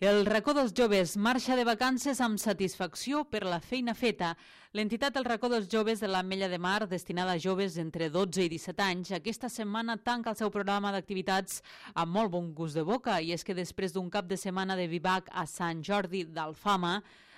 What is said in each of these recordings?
El racó dels joves marxa de vacances amb satisfacció per la feina feta. L'entitat El racó dels joves de l'Ametlla de Mar, destinada a joves entre 12 i 17 anys, aquesta setmana tanca el seu programa d'activitats amb molt bon gust de boca, i és que després d'un cap de setmana de vivac a Sant Jordi d'Alfama,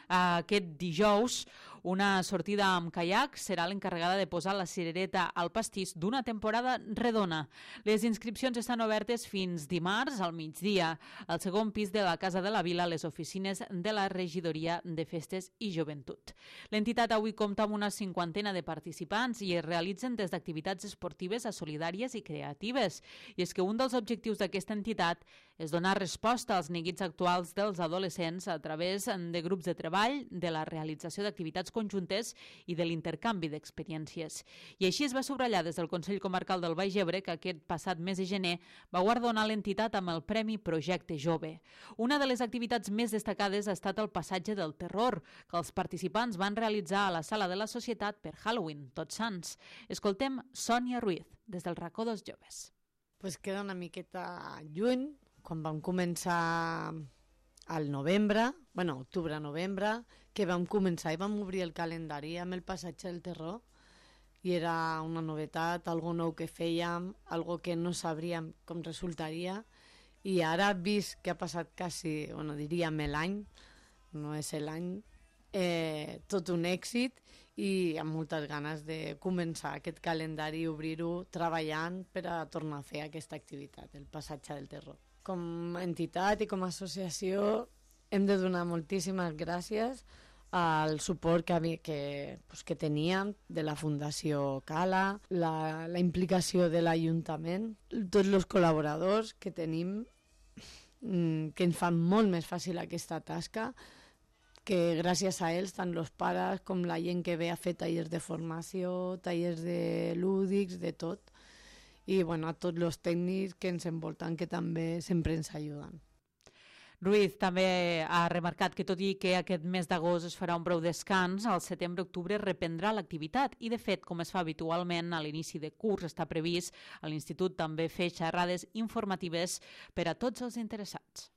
aquest dijous, una sortida amb caiac serà l'encarregada de posar la cirereta al pastís d'una temporada redona. Les inscripcions estan obertes fins dimarts al migdia. Al segon pis de la Casa de la Vila, les oficines de la Regidoria de Festes i Joventut. L'entitat avui compta amb una 50 de participants i es realitzen des d'activitats esportives a solidàries i creatives. I és que un dels objectius d'aquesta entitat és donar resposta als neguits actuals dels adolescents a través de grups de treball, de la realització d'activitats conjuntes i de l'intercanvi d'experiències. I així es va subratllar des del Consell Comarcal del Baix Ebre que aquest passat mes de gener va guardonar l'entitat amb el Premi Projecte Jove. Una de les activitats més destacades ha estat el passatge del terror, que els participants van realitzar a la Sala de la Societat per Halloween, Tots Sants. Escoltem Sònia Ruiz, des del racó dels joves. Pues queda una miqueta lluny, quan vam començar al novembre, octubre-novembre, que vam començar i vam obrir el calendari amb el passatge del terror, i era una novetat, algo nou que fèiem, algo que no sabríem com resultaria, i ara, vist que ha passat quasi, diríem l'any, no és l'any, tot un èxit, i amb moltes ganes de començar aquest calendari i obrir-ho treballant per a tornar a fer aquesta activitat, el passatge del terror. Com a entitat i com a associació hem de donar moltíssimes gràcies al suport que teníem de la Fundació Cala, la implicació de l'Ajuntament, tots els col·laboradors que tenim, que ens fan molt més fàcil aquesta tasca, que gràcies a ells, tant els pares com la gent que ve a fer tallers de formació, tallers de lúdics, de tot, i a tots els tècnics que ens envolten, que també sempre ens ajuden. Ruiz també ha remarcat que tot i que aquest mes d'agost es farà un breu descans, al setembre-octubre reprendrà l'activitat i, de fet, com es fa habitualment a l'inici de curs, està previst a l'Institut també fer xerrades informatives per a tots els interessats.